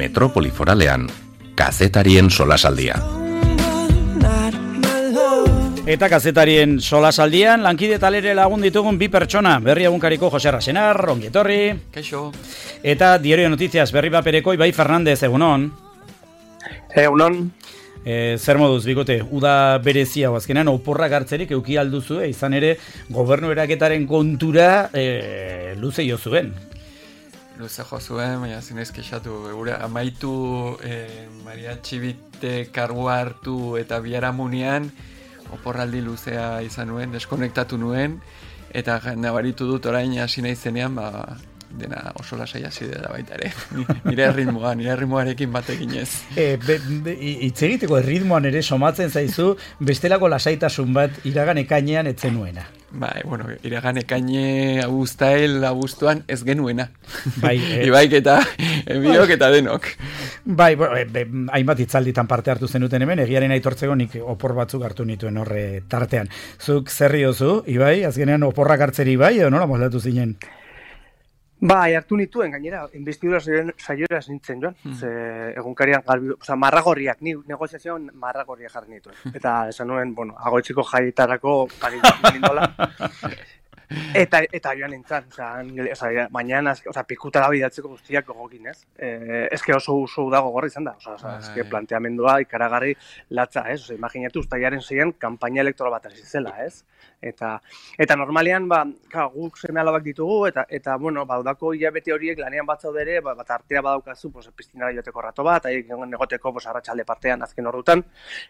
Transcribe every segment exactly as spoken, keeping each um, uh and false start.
Metropoli Foralean, kazetarien solasaldia. Eta kazetarien solasaldian, lankide talere lagun ditugun bi pertsona, Berri Egunkariko Jose Rasenar, ongi etorri. Kaixo. Eta Diario de Noticias, Berri Bapereko Ibai Fernandez, egunon. Egunon. E, zer moduz, bikote, uda berezia, azkenean oporrak hartzerik euki alduzu, izan ere, gobernu eraketaren kontura e, luze jo zuen. Luze jo zuen, baina zinez kexatu, gure amaitu e, Maria Txibite kargua hartu eta biharamunean, oporraldi luzea izan nuen, deskonektatu nuen, eta nabaritu dut orain hasi naizenean, ba, dena oso lasai hasi dela baita ere. Nire ritmoa, nire ritmoarekin batekin ez. E, Itz egiteko ritmoan ere somatzen zaizu, bestelako lasaitasun bat iragan ekainean etzen nuena. Bai, bueno, iragan ekaine abuztael abuztuan ez genuena. Bai, e... Ibaik eta biok eta denok. Bai, bo, e, be, hainbat itzalditan parte hartu zenuten hemen, egiaren aitortzeko nik opor batzuk hartu nituen horre tartean. Zuk zerri ozu, Ibai, azkenean oporrak hartzeri bai, edo nola moldatu zinen? Bai, hartu nituen, gainera, investidura saiora nintzen joan. Hmm. Ze, egunkarian, galbi, oza, marragorriak, ni negoziazioan marragorriak jarri nituen. Eta esan nuen, bueno, agoitziko jaietarako pari nindola. Eta, eta joan nintzen, oza, mañana, oza, pikutara bidatzeko guztiak gogokin, ez? Eh, eske oso oso dago gorri izan da, oza, oza, eske planteamendua ikaragarri latza, ez? Oza, imaginatu, ustailaren zeien kampaina elektoral bat hasi zela, ez? Eta, eta normalean, ba, ka, guk seme alabak ditugu, eta, eta bueno, baudako hilabete horiek lanean bat zaudere, ba, bat artea badaukazu, pues, piztinara joteko rato bat, aiek negoteko, pues, arratsalde partean azken horretan,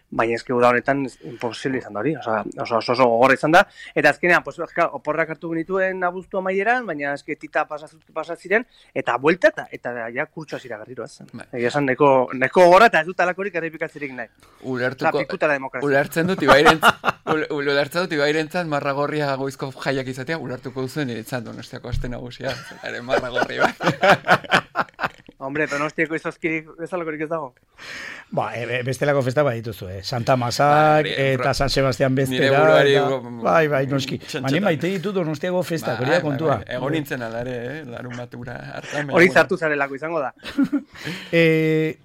baina eske uda honetan imposible izan da hori, oza, oso, oso, oso gogorra izan da, eta azkenean, pues, ka, oporrak hartu genituen abuztu amaieran, baina eske tita pasaziren, eta buelta, eta, eta ja kurtsu hasiera garriro, ez? Egia esan, neko, neko gogorra, eta ez dut alakorik errepikatzerik nahi. Ulertuko, ulertzen dut ibairentzat, ulertzen dut ibairentzat marragorria goizko jaiak izatea, ulertuko duzuen niretzat Donostiako aste nagusia, ere marragorri bat. Hombre, Donostiako izozkirik bezalakorik ez dago. Ba, e, bestelako festa bat dituzu, eh? Santa Masak ba, eta San Sebastian bestera. Buruari, eta, bai, bai, noski. Mani maite ditu Donostiako festa, hori da kontua. Ba, egon nintzen alare, eh? Larun bat ura hartan. Hori zartu zarelako izango da. e,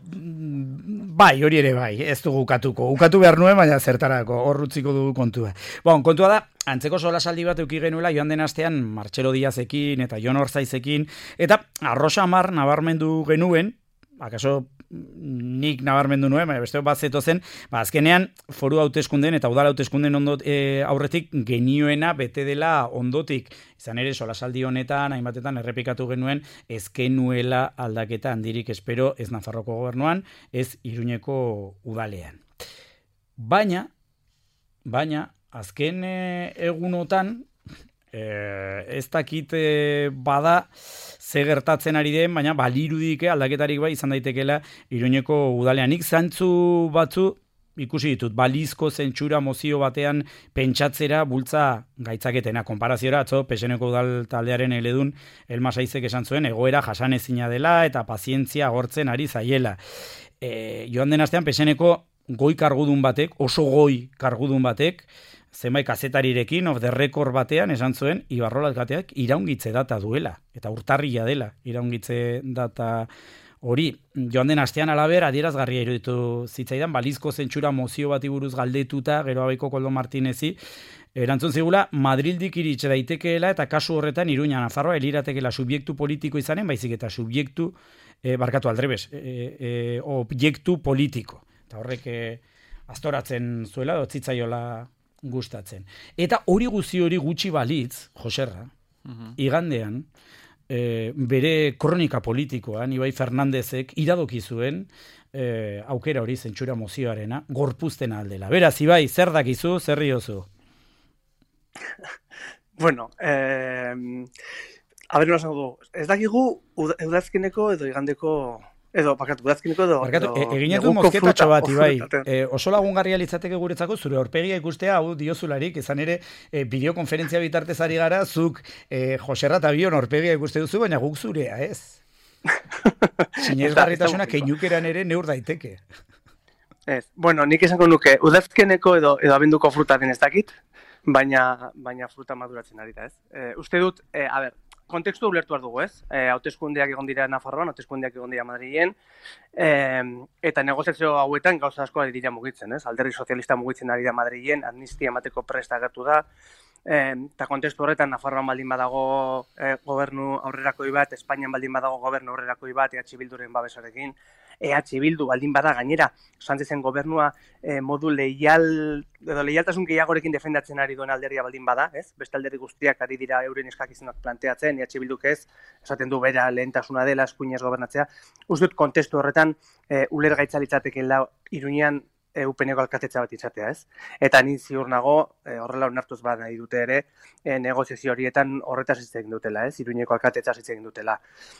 bai, hori ere bai, ez dugu ukatuko. Ukatu behar nuen, baina zertarako, horrutziko dugu kontua. Bon, kontua da, antzeko solasaldi bat euki genuela joan den astean Martxelo Diazekin eta Jon Orzaizekin, eta Arrosa Mar nabarmendu genuen, akaso nik nabarmendu nuen, baina beste bat zeto zen, ba, azkenean foru hauteskunden eta udal hauteskunden ondot, e, aurretik genioena bete dela ondotik. Izan ere, solasaldi honetan, hainbatetan errepikatu genuen, ez genuela aldaketa handirik espero ez Nafarroko gobernuan, ez Iruñeko udalean. Baina, baina, azken e, egunotan, e, ez dakit e, bada ze gertatzen ari den, baina balirudik aldaketarik bai izan daitekela Iruñeko udalean. Nik zantzu batzu ikusi ditut, balizko zentsura mozio batean pentsatzera bultza gaitzaketena. Konparaziora, atzo, P S N-ko udal taldearen eledun Elma Saizek esan zuen, egoera jasanezina dela eta pazientzia agortzen ari zaiela. E, joan den astean P S N-ko goi kargudun batek, oso goi kargudun batek, zenbait kazetarirekin, of the record batean, esan zuen, Ibarrola alkateak iraungitze data duela, eta urtarria dela iraungitze data hori. Joan den astean alaber, adierazgarria iruditu zitzaidan, balizko zentsura mozio bati buruz galdetuta, gero abaiko Koldo Martinezi, erantzun zigula, Madrildik iritxe daitekeela, eta kasu horretan Iruña Nafarroa eliratekela subjektu politiko izanen, baizik eta subjektu, eh, barkatu aldrebes, eh, eh, objektu politiko. Eta horrek eh, astoratzen zuela, dotzitzaiola gustatzen. Eta hori guzi hori gutxi balitz, Joserra, uh-huh. igandean, e, bere kronika politikoan, Ibai Fernandezek iradoki zuen e, aukera hori zentsura mozioarena, gorpuzten aldela. Beraz, Ibai, zer dakizu, zer riozu? Bueno, eh, haber no du, ez dakigu udazkeneko edo igandeko edo, bakatu, udazkeneko edo... Bakatu, e, eginetu mozketatxo bat, Ibai. E, oso lagungarria litzateke guretzako, zure aurpegia ikustea, hau diozularik, izan ere, e, bideokonferentzia bitartez ari gara, zuk e, Joserra eta Bion aurpegia ikuste duzu, baina guk zurea, ez? Sinesgarritasuna keinukeran ere neur daiteke. Ez, bueno, nik esango nuke, udazkeneko edo, edo abenduko fruta den ez dakit, baina, baina fruta maduratzen ari da, ez? E, uste dut, e, a ber, kontekstu ulertu behar dugu, ez? E, hauteskundeak egon dira Nafarroan, hauteskundeak egon dira Madrilen, e, eta negoziazio hauetan gauza asko ari dira mugitzen, ez? Alderdi sozialista mugitzen ari da Madrilen, amnistia emateko prest agertu da, eta e, kontekstu horretan Nafarroan baldin badago e, gobernu aurrerakoi bat, Espainian baldin badago gobernu aurrerakoi bat, E H Bilduren babesarekin, E H Bildu baldin bada gainera, Sánchezen gobernua e, modu leial, edo leialtasun gehiagorekin defendatzen ari duen alderdia baldin bada, ez? Beste alderdi guztiak ari dira euren eskakizunak planteatzen, E H Bilduk ez, esaten du bera lehentasuna dela, eskuinez gobernatzea. Uste dut kontestu horretan e, ulergaitza litzatekeela Iruñean e, U P N-ko alkatetza bat izatea, ez? Eta ni ziur nago, e, horrela onartuz bat nahi dute ere, e, negoziazio horietan horretaz hitz egin dutela, ez? Iruñeko alkatetza hitz egin dutela.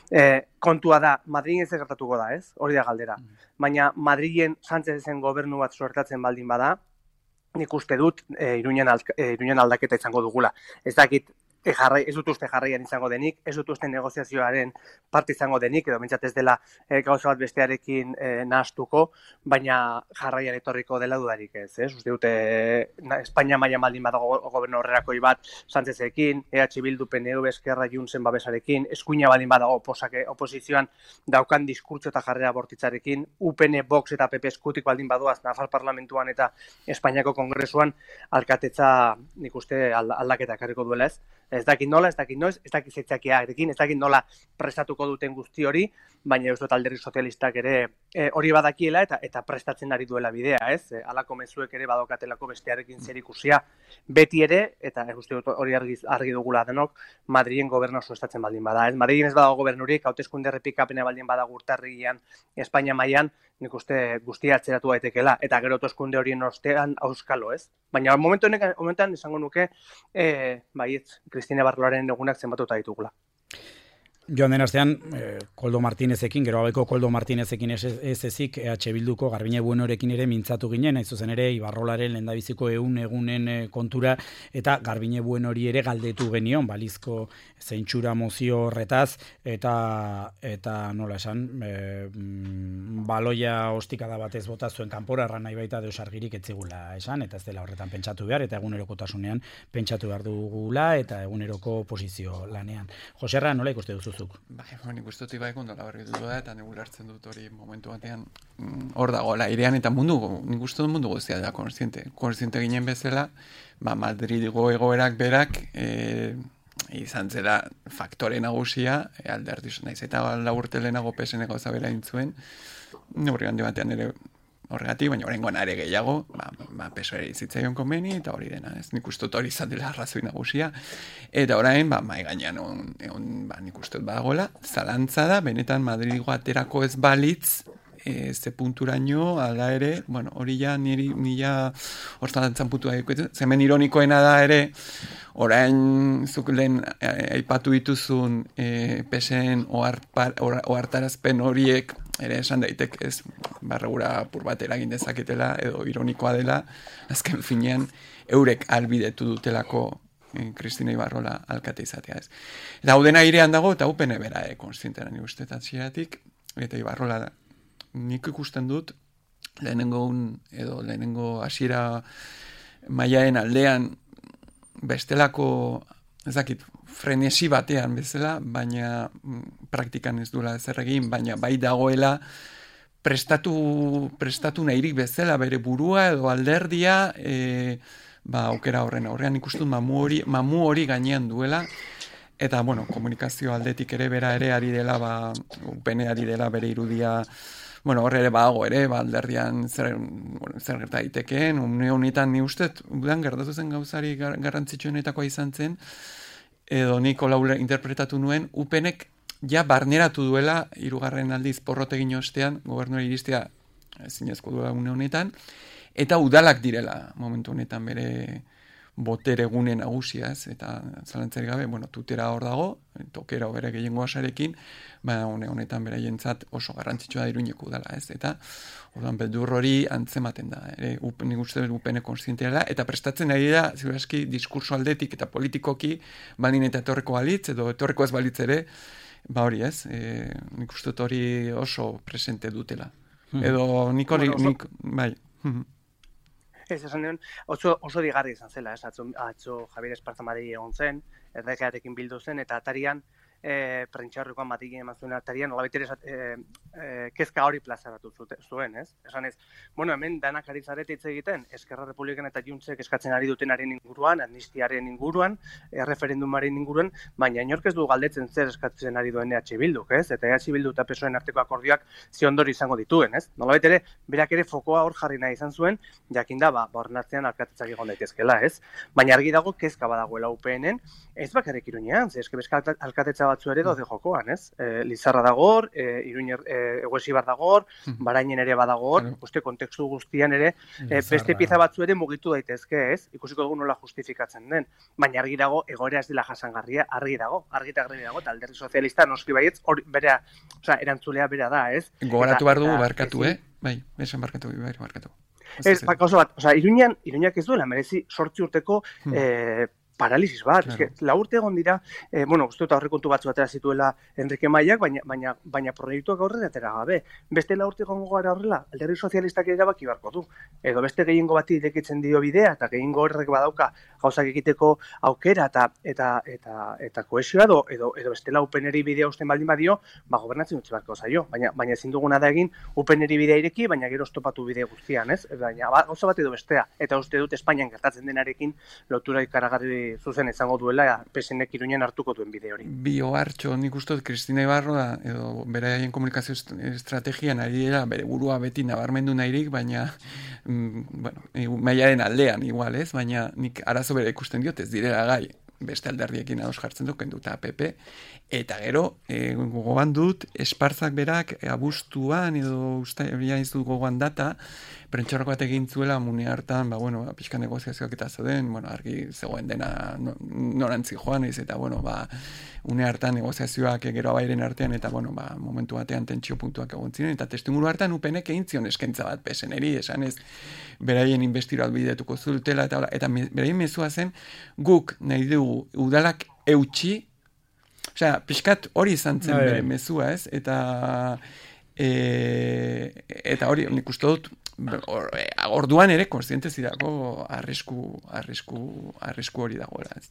E, kontua da, Madrilen ez gertatuko da, ez? Hori da galdera. Baina Madrilen Sánchezen gobernu bat suertatzen baldin bada, nik uste dut e, Iruñan, e, Iruñan aldaketa izango dugula. Ez dakit, e, jarrai, ez dut uste jarraian izango denik, ez dut uste negoziazioaren parte izango denik, edo bintzat ez dela e, gauza bat bestearekin e, nahastuko, baina jarraian etorriko dela dudarik ez, ez? Uste dute na, Espainia mailan baldin badago gobernu horrerakoi bat Sánchezekin, E H Bildu, P N V, Esquerra Juntzen babesarekin, eskuina baldin badago oposake, oposizioan daukan diskurtso eta jarrera bortitzarekin, U P N, Vox eta P P eskutik baldin badoaz Nafar parlamentuan eta Espainiako kongresuan alkatetza nik uste aldaketa ekarriko duela ez. Ez dakit nola, ez dakit noiz, ez dakit zeitzakiarekin, ez dakit nola prestatuko duten guzti hori, baina ez dut alderdi sozialistak ere e, hori badakiela eta eta prestatzen ari duela bidea, ez? E, alako mezuek ere badokatelako bestearekin zer ikusia beti ere, eta ez uste dut hori argi, argi dugula denok, Madrilen gobernu suestatzen baldin bada, ez? Madrilen ez badago gobernurik, hauteskunde errepikapena baldin badago urtarrian, Espainia mailan, nik uste guztia atzeratu daitekeela, eta gero hauteskunde horien ostean auskalo, ez? Baina momentu honetan, momentan esango nuke, e, baietz, Cristina Barloaren egunak zenbatuta ditugula. Joan den astean, eh, Koldo Martinezekin, gero abeko Koldo Martinezekin ez, ez ezik, E H Bilduko Garbine Buenorekin ere mintzatu ginen, hain zuzen ere, Ibarrolaren lehendabiziko ehun egunen eh, kontura, eta Garbine Buenori ere galdetu genion, balizko zeintsura mozio horretaz, eta eta nola esan, eh, baloia ostikada batez bota zuen kanpora, erran nahi baita deus argirik etzigula esan, eta ez dela horretan pentsatu behar, eta egunerokotasunean pentsatu behar dugula, eta eguneroko posizio lanean. Joserra, nola ikuste duzu? Bai, nik uste dut ibai kondola berri dut da, eta nik ulertzen dut hori momentu batean hor dagoela airean, eta mundu, nik uste dut mundu guztia da konstiente. Konstiente ginen bezala, ba, Madridgo egoerak berak, e, izan zela faktore nagusia, e, alderdi naiz eta laburte lehenago peseneko zabela intzuen, hori handi batean ere horregatik, baina horrengoan are gehiago, ba, ba pesoari zitzaion konbeni, eta hori dena, ez nik uste dut hori izan dela arrazoi nagusia, eta orain, ba, mai gainean on, on, ba, nik uste dut badagoela, zalantza da, benetan Madridigo aterako ez balitz, e, ze punturaino, ala ere, bueno, hori ja, niri, nila, hortan puntua ikuetzen, zemen ironikoena da ere, orain zuk lehen aipatu dituzun e, pesen ohartarazpen horiek ere esan daitek ez barregura apur bat eragin dezaketela edo ironikoa dela, azken finean eurek albidetu dutelako e, Cristina Ibarrola alkate izatea ez. Eta hau dena airean dago eta U P N bera e, konstientera ni uste tatxeratik, eta Ibarrola nik ikusten dut lehenengo un, edo lehenengo hasiera mailaen aldean bestelako, ez dakit, frenesi batean bezala, baina praktikan ez duela ezer egin, baina bai dagoela prestatu, prestatu nahirik bezala bere burua edo alderdia, e, ba, aukera horren aurrean ikustut mamu hori, mamu hori gainean duela, eta, bueno, komunikazio aldetik ere bera ere ari dela, ba, U P N ari dela bere irudia, bueno, horre ere bago ere, ba, alderdian zer, bueno, zer gerta daitekeen, une honetan ni ustet, udan gertatu zen gauzari gar, garrantzitsuenetakoa izan zen, edo niko laule interpretatu nuen, U P Nek ja barneratu duela, hirugarren aldiz porrotegin ostean, gobernuari iristea zinezko duela une honetan, eta udalak direla momentu honetan bere botere gune nagusia, ez, eta zalantzari gabe, bueno, tutera hor dago, tokera bere gehiengo asarekin, ba, une honetan beraientzat oso garrantzitsua da Iruñeko udala, ez, eta orduan beldur hori antzematen da, ere, nik uste U P N konstientea da, eta prestatzen ari da, ziurazki, diskurso aldetik eta politikoki, balin eta etorreko balitz, edo etorreko ez balitz ere, ba hori ez, e, nik uste hori oso presente dutela. Hmm. Edo nik hori, bueno, nik, bai, Ez, esan duen, oso, oso digarri izan zela, ez, atzo, atzo Javier Esparza Madrid egon zen, erregearekin bildu zen, eta atarian e, prentxaurrekoan matikin eman zuen arterian, nola baitere e, e, kezka hori plazaratu zuen, ez? Esan ez, bueno, hemen danak ari zarete hitz egiten, Eskerra Republikan eta Juntzek eskatzen ari dutenaren inguruan, amnistiaren inguruan, erreferendumaren inguruan, baina inork ez du galdetzen zer eskatzen ari duen E H Bilduk, ez? Eta E H Bildu eta P S O E arteko akordioak ziondori izango dituen, ez? Nolabait ere, berak ere fokoa hor jarri nahi izan zuen, jakinda ba, bornatzean alkatetzak egon daitezkela, ez? Baina argi dago kezka badagoela U P N-en, ez bakarrik Iruñean, ze eske bezka alkatetza batzu ere daude jokoan, ez? E, Lizarra dagor, e, Iruñer e, Eguesibar dagor, Barainen ere badagor, uste kontekstu guztian ere, e, beste pieza batzu ere mugitu daitezke, ez? Ikusiko dugu nola justifikatzen den. Baina argi dago egoera ez dela jasangarria, argi dago, argi eta argi dago, eta Alderdi Sozialista noski baietz, hori bera, osea, erantzulea bera da, ez? Gogoratu behar dugu barkatu, eh? Bai, esan barkatu, bai, barkatu. Ez, gauza bat, osea, Iruñan, Iruñak ez duela merezi sortzi urteko hmm. eh, paralisis bat, claro. Eske, la urte egon dira, eh, bueno, uste eta aurrekontu batzu atera zituela Enrique Maiak, baina, baina, baina proiektuak aurrera atera gabe. Beste la urte egongo gara horrela, Alderdi Sozialistak erabaki beharko du. Edo beste gehiengo bati irekitzen dio bidea, eta gehiengo horrek badauka gauzak egiteko aukera eta eta eta eta kohesioa edo, edo, edo bestela U P N-eri bidea usten baldin badio, ba, gobernatzen utzi beharko zaio. Baina, baina ezin duguna da egin U P N-eri bidea ireki, baina gero estopatu bide guztian, ez? Baina, ba, gauza bat edo bestea. Eta uste dut Espainian gertatzen denarekin lotura ikaragarri zuzen izango duela P S N-ek Iruñan hartuko duen bide hori. Bi ohartxo, nik uste dut Kristina Ibarro da, edo beraien komunikazio estrategian ari dira, bere burua beti nabarmendu nahirik, baina mm, bueno, mailaren aldean igual, ez? Baina nik arazo bere ikusten diot ez direla gai beste alderdiekin ados jartzen du, kenduta P P, eta gero, e, gogoan dut, Espartzak berak e, abuztuan, edo usta, ez dut gogoan data, prentxorrako bat egin zuela mune hartan, ba, bueno, ba, pixka negoziazioak eta zeuden, bueno, argi zegoen dena no, norantzi joan ez, eta, bueno, ba, une hartan negoziazioak gero abairen artean, eta, bueno, ba, momentu batean tentsio puntuak egon ziren, eta testimuru hartan U P N-ek egin zion eskaintza bat P S N-eri, esan ez, beraien investiroak bidetuko zultela, eta, eta beraien mezua zen, guk nahi dugu udalak eutxi, osea, pixkat hori izan zen bere mezua, ez, eta, e, eta hori, nik uste dut, Or, orduan ere kontziente zidako arrisku arrisku arrisku hori dagoela, ez.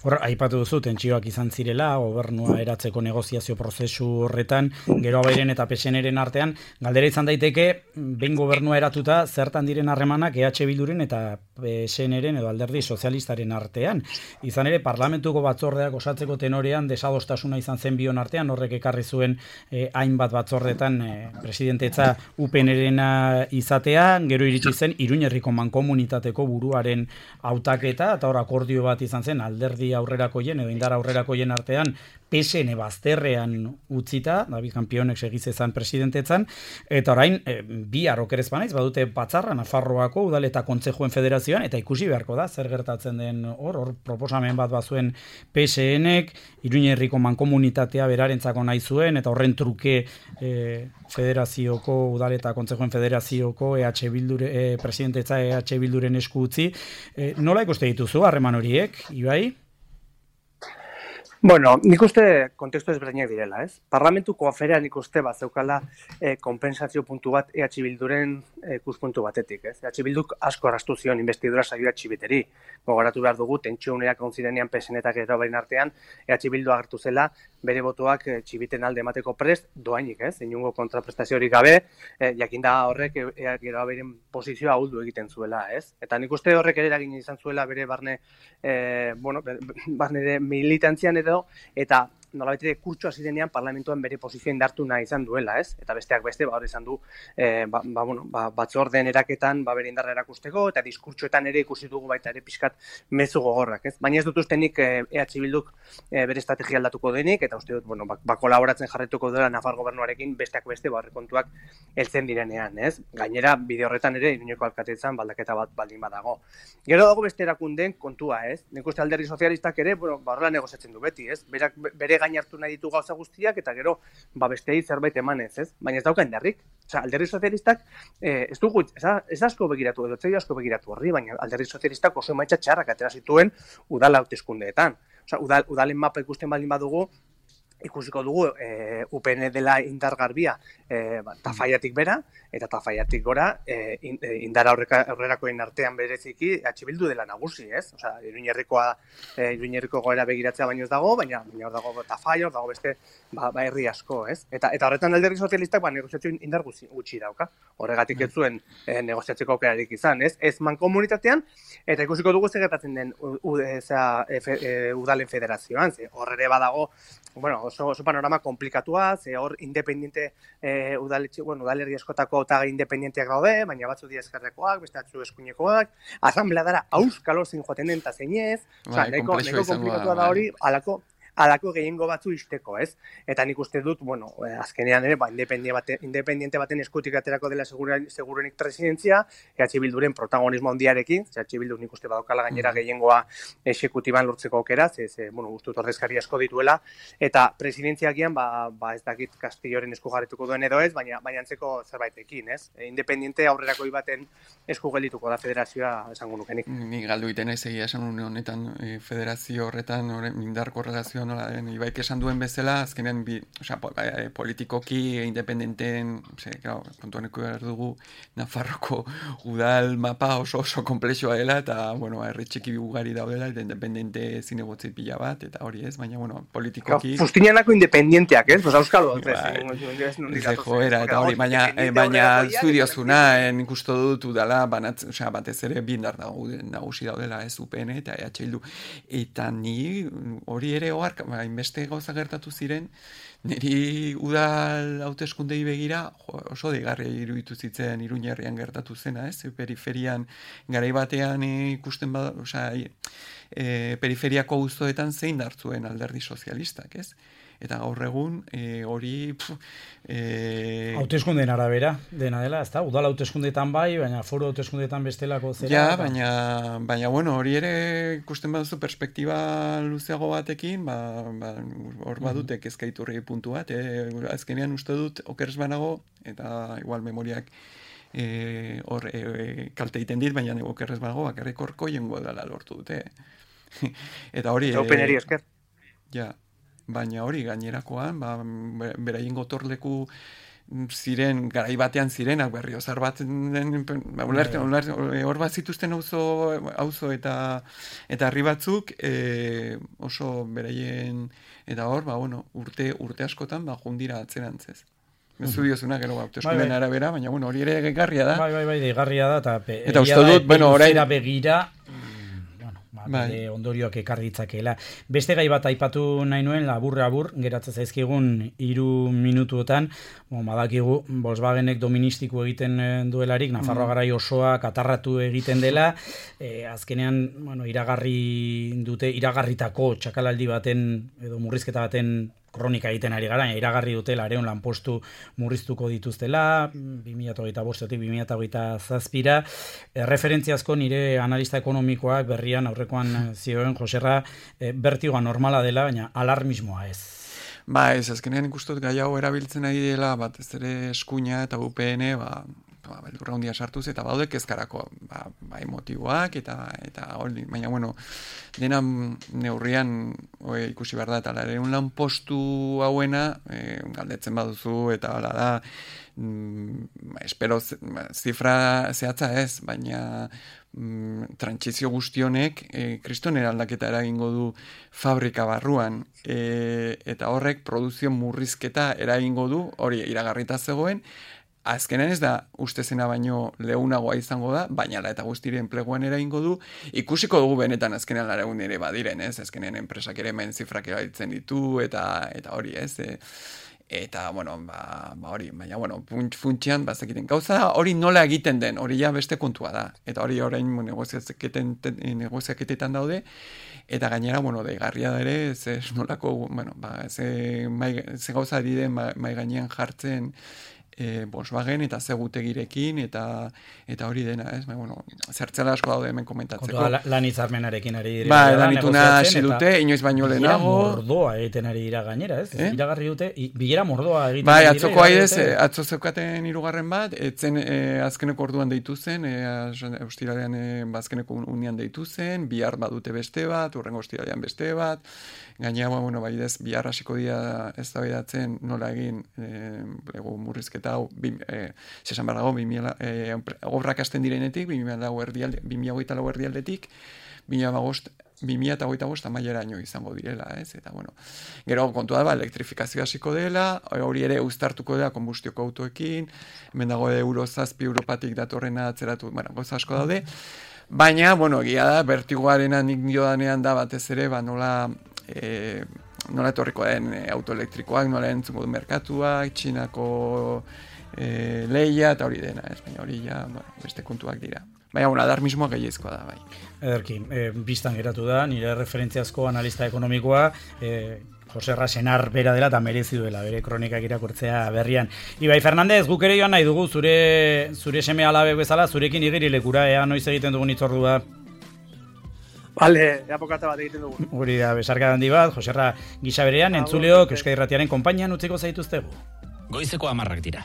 Hor aipatu duzu tentsioak izan zirela gobernua eratzeko negoziazio prozesu horretan, gero abairen eta P S N-ren artean galdera izan daiteke behin gobernua eratuta zertan diren harremanak E H Bilduren eta P S N-ren edo Alderdi Sozialistaren artean. Izan ere parlamentuko batzordeak osatzeko tenorean desadostasuna izan zen bion artean, horrek ekarri zuen eh, hainbat batzordetan eh, presidentetza U P N-rena izatea, gero iritsi zen Iruñerriko mankomunitateko buruaren hautaketa, eta hor akordio bat izan zen alderdi aurrerakoien edo indar aurrerakoien artean P S N bazterrean utzita, David Kanpionek segiz ezan presidentetzan, eta orain e, bi arrokerez banaiz, badute batzarra Nafarroako udal eta kontzejuen federazioan, eta ikusi beharko da, zer gertatzen den hor, hor proposamen bat bazuen P S N-ek, Iruñerriko mankomunitatea berarentzako nahi zuen, eta horren truke e, federazioko, udal eta kontzejuen federazioko E H Bildure, e, presidentetza E H Bilduren esku utzi. E, nola ikuste dituzu harreman horiek, Ibai? Bueno, nik uste kontestu ezberdinak direla, ez? Parlamentuko aferean nik uste bat zeukala eh, kompensazio puntu bat E H Bilduren eh, ikuspuntu batetik, ez? E H Bilduk asko arrastu zion investidura saioa txibiteri. Gogoratu behar dugu, tentsio uneak egon zirenean P S N eta gero bain artean, E H Bildu agertu zela, bere botoak eh, txibiten alde emateko prest, doainik, ez? Inungo kontraprestaziorik gabe, eh, jakinda horrek e, e, gero beren posizioa ahuldu egiten zuela, ez? Eta nik uste horrek ere eragin izan zuela bere barne, eh, bueno, barne de militantzian edo, eta nolabait ere kurtsoa zirenean parlamentuan bere posizioa indartu nahi izan duela, ez? Eta besteak beste, ba hor izan du, eh, ba, ba, bueno, ba, batzordeen eraketan ba bere indarra erakusteko, eta diskurtsoetan ere ikusi dugu baita ere pixkat mezu gogorrak, ez? Baina ez dut ustenik eh, E H Bilduk eh, bere estrategia aldatuko denik, eta uste dut, bueno, ba, ba kolaboratzen jarretuko dela Nafar gobernuarekin besteak beste, ba horrekontuak heltzen direnean, ez? Gainera, bide horretan ere, Iruñeko alkatetzan baldaketa bat baldin badago. Gero dago beste erakundeen kontua, ez? Nik uste Alderdi Sozialistak ere, bueno, ba horrela negoziatzen du beti, ez? Berak, bere gain hartu nahi ditu gauza guztiak, eta gero, ba bestei zerbait emanez, ez? Baina ez dauka indarrik. Osea, Alderdi Sozialistak eh, ez dugu, ez, ez asko begiratu, edo ez asko begiratu horri, baina Alderdi Sozialistak oso emaitza txarrak atera zituen udal hauteskundeetan. Osea, udal, udalen mapa ikusten baldin badugu, ikusiko dugu e, U P N dela indargarbia e, ba, Tafaiatik bera, eta Tafaiatik gora e, in, e, indar aurrerakoen artean bereziki H Bildu dela nagusi, ez? Osea, Iruñerrikoa, e, Iruñerriko goera begiratzea baino ez dago, baina baina hor dago Tafaia, hor dago beste ba, ba herri asko, ez? Eta eta horretan alderdi sozialistak ba negoziazio indar gutxi dauka. Horregatik ez zuen e, negoziatzeko aukerarik izan, ez? Ez mankomunitatean, eta ikusiko dugu zer gertatzen den u, u, eza, e, fe, e, udalen federazioan, ze hor ere badago, bueno, oso, oso panorama komplikatua, ze hor independiente e, udaletxe, bueno, udalerri askotako eta independienteak daude, baina batzu dira ezkerrekoak, beste batzu eskuinekoak, asambleadara auskalo zein joaten den ta zeinez, osea, nahiko komplikatua da hori, alako alako gehiengo batzu isteko, ez? Eta nik uste dut, bueno, azkenean ere, ba, independiente, bate, independiente baten eskutik aterako dela segurenik presidentzia, E H Bilduren protagonismo handiarekin, E H Bildu nik uste badokala gainera gehiengoa exekutiban lortzeko aukera, ze, ze, bueno, guztut ordezkari asko dituela, eta presidentziakian, ba, ba ez dakit Castilloren esku jarrituko duen edo ez, baina, baina antzeko zerbaitekin, ez? E, independiente aurrerakoi baten esku geldituko da federazioa esango nukenik. Ni galdu iten ez egia esan honetan, e, federazio horretan, indarko relazio nola den, Ibaik esan duen bezala, azkenean, bi, osea, po, e, politikoki independenten, ose, claro, kontuan eko behar dugu, Nafarroko udal mapa oso oso komplexua dela, eta, bueno, herri txiki ugari daudela, eta independente zinegotzi pila bat, eta hori ez, baina, bueno, politikoki... Fustinianako independienteak, ez? Pues auskalo, ez, ez joera, eta hori, baina, baina zudiozuna, nik uste dut udala, banatz, osea, batez ere bindar nagusi daudela, ez, U P N eta E H Bildu, eta ni hori ere oar hainbeste gauza gertatu ziren, niri udal hauteskundei begira jo, oso deigarria iruditu zitzen Iruñerrian gertatu zena, ez? Periferian garai batean ikusten bada, osea, e, periferiako auzoetan zein hartzuen alderdi sozialistak, ez? Eta gaur egun e, hori e... hauteskundeen arabera dena dela, ezta? Udal hauteskundeetan bai, baina foru hauteskundeetan bestelako zera. Ja, baina, baina bueno, hori ere ikusten baduzu perspektiba luzeago batekin, ba, ba, hor badute kezkaiturri puntu bat, e, azkenean uste dut okeres banago, eta igual memoriak e, hor e, kalte egiten dit, baina okeres banago, bakarrik horko jengo dela lortu dute. Eta hori... Openeri esker. Ja. Baina hori gainerakoan, ba, beraien gotorleku ziren, garai batean zirenak berriozar bat den, ba, ulerte, ulerte, hor bat zituzten auzo, auzo eta eta herri batzuk e, oso beraien, eta hor, ba, bueno, urte, urte askotan, ba, jundira atzerantzez. Zu diozuna, gero hauteskunden bai, bai. arabera, baina bueno, hori ere gegarria da. Bai, bai, bai, gegarria da, eta, pe, eta uste dut, bueno, orain... begira, Bai. ondorioak ekar ditzakeela. Beste gai bat aipatu nahi nuen, labur-labur, geratzen zaizkigun hiru minutuetan, bon, badakigu Volkswagenek doministiku egiten duelarik, Nafarroa garai osoa katarratu egiten dela, e, azkenean, bueno, iragarri dute, iragarritako txakalaldi baten, edo murrizketa baten kronika egiten ari gara, iragarri dutela areon lanpostu murriztuko dituztela, bi mila hogeita bostetik bi mila hogeita zazpira, e, referentziazko nire analista ekonomikoak berrian aurrekoan zioen Joserra, e, bertigoa normala dela, baina alarmismoa ez. Ba, ez, azkenean ikustot gai hau erabiltzen ari dela, bat ez ere eskuina eta U P N, ba, ba, beldurra hundia sartuz, eta baude kezkarako, ba, bai motiboak, eta, eta hori, baina, bueno, dena neurrian oe, ikusi behar da, eta lare, un lan postu hauena, e, galdetzen baduzu, eta hala da, mm, espero zifra zehatza ez, baina mm, trantsizio guztionek e, kristonen aldaketa eragingo du fabrika barruan, e, eta horrek produzio murrizketa eragingo du, hori iragarrita zegoen, azkenean ez da uste zena baino leunagoa izango da, baina la eta guztire enpleguan eragingo du, ikusiko dugu benetan azkenean laregun ere badiren, ez? Azkenean enpresak ere hemen zifrak erabiltzen ditu, eta eta hori, ez? E, eta, bueno, ba, ba hori, baina, bueno, funtsian, bazekiten gauza, hori nola egiten den, hori ja beste kontua da, eta hori orain negoziaketetan daude, eta gainera, bueno, deigarria da ere, ze nolako, bueno, ba, ze, mai, ze gauza dide mai gainean jartzen, e, Volkswagen eta segutegirekin eta eta hori dena, ez? Ba, bueno, zertzela asko daude hemen komentatzeko. Kontua lan hitzarmenarekin ari dira. Ba, lan ituna hasi dute, inoiz baino lehenago. Bilera mordoa egiten ari dira gainera, ez? Eh? Iragarri dute, bilera mordoa egiten bai, ari dira. Bai, atzoko aidez, atzo zeukaten hirugarren bat, etzen e, azkeneko orduan deitu zen, e, ostiralean e, azkeneko unian deitu zen, bihar badute beste bat, urrengo ostiralean beste bat, gainera, bueno, bai, ez, bihar hasiko dira eztabaidatzen nola egin e, lego murrizketa hau, e, zesan behar dago, e, obrak hasten direnetik, bi mila hogeita lau erdialdetik, bi mila hogeita bost amaieraino izango direla, ez? Eta, bueno, gero kontua da, ba, elektrifikazio hasiko dela, hori ere uztartuko dela konbustioko autoekin, hemen dago euro zazpi Europatik datorrena atzeratu, bueno, goza asko daude, baina, bueno, egia da, bertigoarena nik diodanean da batez ere, ba, nola, e, nola etorriko den e, autoelektrikoak, nola entzungo du merkatuak, Txinako e, leia, eta hori dena, ez? Baina hori ja, bueno, beste kontuak dira. Baina, bueno, adarmismoa gehiezkoa da, bai. Ederki, e, biztan geratu da, nire referentziazko analista ekonomikoa, e, Jose Rasenar bera dela eta merezi duela, bere kronikak irakurtzea berrian. Ibai Fernandez, guk ere joan nahi dugu, zure, zure seme alabe bezala, zurekin igerilekura, ea noiz egiten dugun itzordua. Bale, apokata bat egiten dugu. Hori da, besarka handi bat, Joserra gisa berean, entzuleok Euskadi Irratiaren konpainian utziko zaituztegu. Goizeko hamarrak dira.